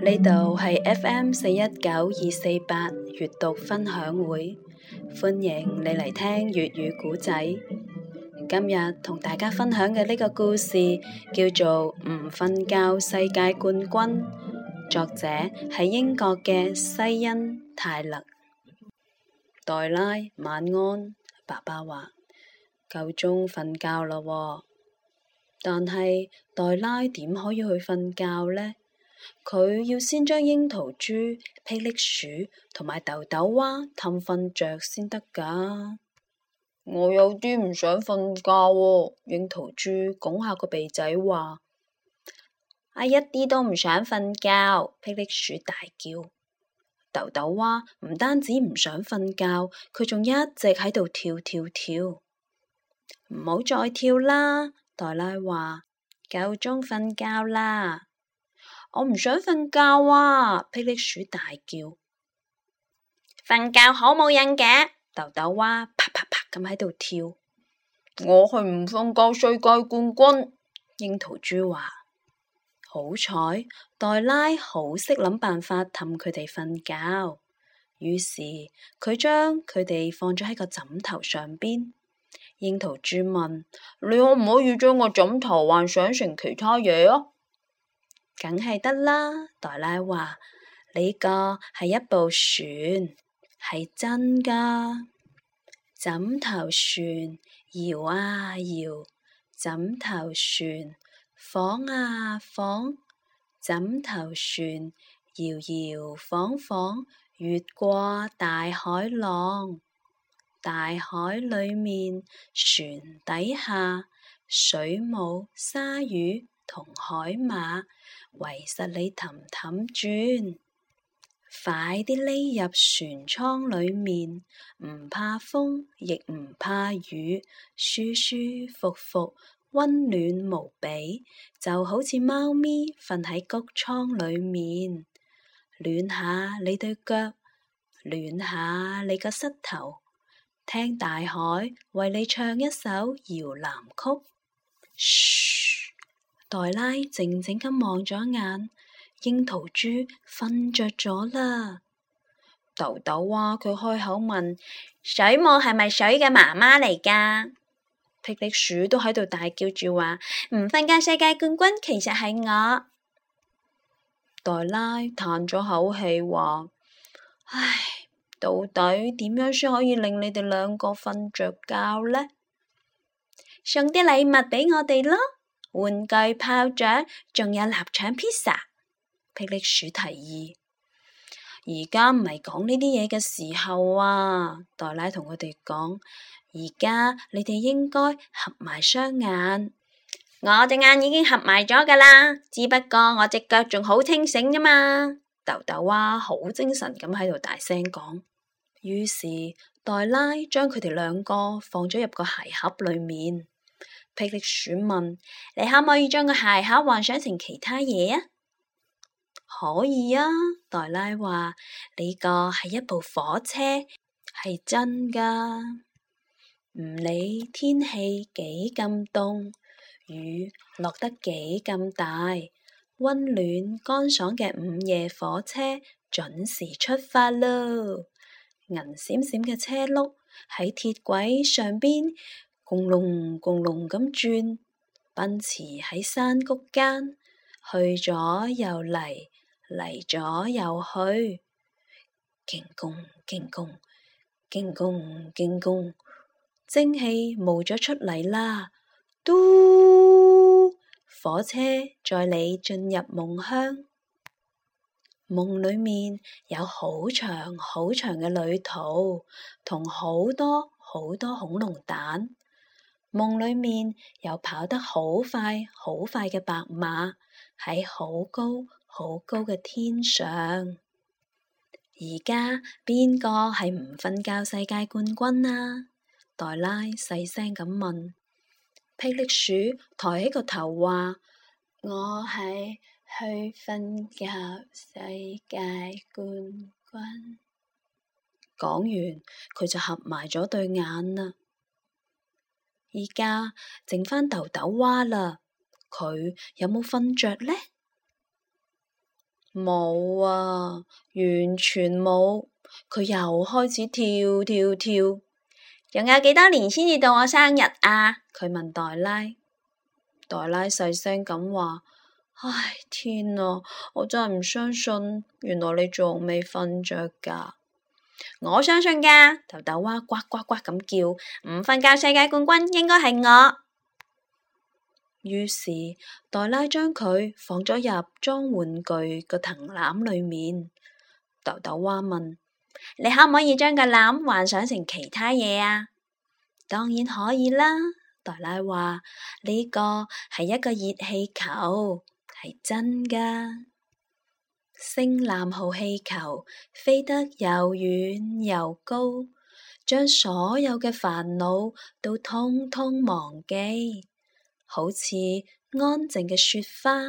呢度係 FM419-248閱讀分享會，歡迎你嚟聽粵語古仔。今日同大家分享嘅呢個故事叫做唔瞓覺世界冠軍，作者係英國嘅西恩泰勒。黛拉晚安，爸爸話夠鐘瞓覺啦喎，但係黛拉點可以去瞓覺呢？佢要先將櫻桃豬、霹靂鼠同埋豆豆蛙氹瞓着先得㗎。我有啲唔想瞓覺喎，櫻桃豬拱下個鼻仔話：我一啲都唔想瞓覺。霹靂鼠大叫。豆豆蛙唔單止唔想瞓覺，佢仲一直喺度跳跳跳。唔好再跳啦，黛拉話：夠鐘瞓覺啦。我唔想瞓覺啊！霹靂鼠大叫。瞓覺好冇癮嘅，豆豆蛙啪啪啪咁喺度跳。我係唔瞓覺世界冠軍，櫻桃豬話。好彩，黛拉好識諗辦法氹佢哋瞓覺，於是佢將佢哋放咗喺個枕頭上邊。櫻桃豬問：你可唔可以將個枕頭幻想成其他嘢啊？梗係得啦，黛拉話，呢個係一部船，係真㗎。枕頭船搖啊搖，枕頭船晃啊晃，枕頭船搖搖晃晃，越過大海浪。大海裏面，船底下，水母、鯊魚同海馬圍實你氹氹轉，快啲匿入船艙裏面，唔怕風亦唔怕雨，舒舒服服，溫暖無比，就好似貓咪瞓喺谷倉裏面，暖下你對腳，暖下你個膝頭，聽大海為你唱一首搖籃曲。噓，黛拉靜靜咁望咗眼，櫻桃豬瞓着咗啦。豆豆蛙佢開口問：水母係咪水嘅媽媽嚟㗎？霹靂鼠都喺度大叫住話：唔瞓覺世界冠軍其實係我。黛拉嘆咗口氣話：唉，到底點樣先可以令你哋兩個瞓着覺呢？送啲禮物俾我哋咯，玩具炮仗，仲有臘腸披薩。霹靂鼠提議。而家唔係講呢啲嘢嘅時候啊，黛拉同佢哋講，而家你哋應該合埋雙眼。我隻眼已經合埋咗㗎啦，只不過我隻腳仲好清醒啫嘛。豆豆蛙好精神咁喺度大聲講。於是黛拉將佢哋兩個放咗入個鞋盒裏面。霹靂鼠問：你可唔可以將個鞋盒幻想成其他嘢啊？可以啊，黛拉話，呢個係一部火車，係真㗎。唔理天氣幾咁凍，雨落得幾咁大，溫暖乾爽嘅午夜火車準時出發咯。銀閃閃嘅車轆喺鐵軌上邊轟隆轟隆咁轉，奔馳喺山谷間，去咗又嚟，嚟咗又去，勁弓勁弓勁弓勁弓，蒸汽冒咗出嚟啦！嘟，火車載你進入夢鄉。夢裏面有好長好長嘅旅途，同好多好多恐龍蛋。夢裏面有跑得好快好快嘅白馬，喺好高好高嘅天上。而家邊個係唔瞓覺世界冠軍啊？黛拉細聲咁問。霹靂鼠抬起個頭話：我係去瞓覺世界冠軍。講完佢就合埋咗對眼啦。而家剩返豆豆蛙啦，佢有冇瞓着呢？冇啊，完全冇。佢又開始跳跳跳。仲有幾多年先至到我生日啊？佢問黛拉。黛拉細聲咁話：唉，天啊，我真係唔相信，原來你仲未瞓着㗎。我相信㗎，豆豆蛙呱呱呱咁叫，唔瞓覺世界冠軍應該係我。於是黛拉將佢放咗入裝玩具個藤籃裏面。豆豆蛙問：你可唔可以將個籃幻想成其他嘢啊？當然可以啦。黛拉話：呢個係一個熱氣球，係真㗎。星藍號氣球飛得又遠又高，將所有嘅煩惱都通通忘記，好似安靜嘅雪花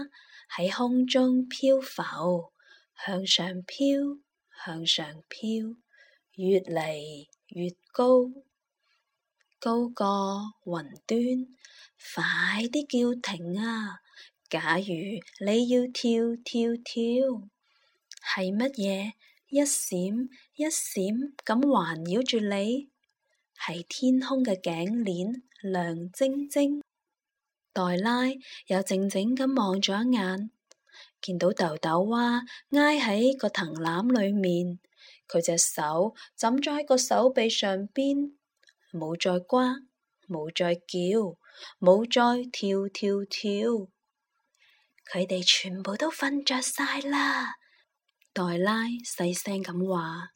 喺空中漂浮，向上飄，向上飄，越嚟越高，高過雲端。快啲叫停啊！假如你要跳跳跳，係乜嘢一閃一閃咁環繞住你？係天空嘅頸鏈亮晶晶。黛拉又靜靜咁望咗一眼，見到豆豆蛙挨喺個藤籃裏面，佢隻手枕咗喺個手臂上邊，冇再呱，冇再叫，冇再跳跳跳。佢哋全部都瞓着晒啦。黛拉細聲咁話，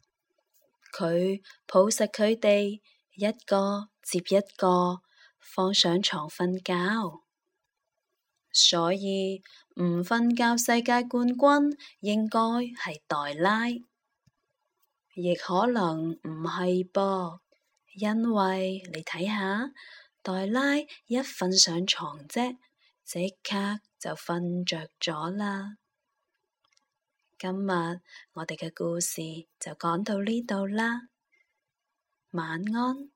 佢抱實佢哋，一個接一個放上床瞓覺。所以唔瞓覺世界冠軍應該係黛拉，亦可能唔係噃，因為你睇下，黛拉一瞓上床啫，即刻就瞓着咗啦。今日我哋嘅故事就講到呢度啦，晚安。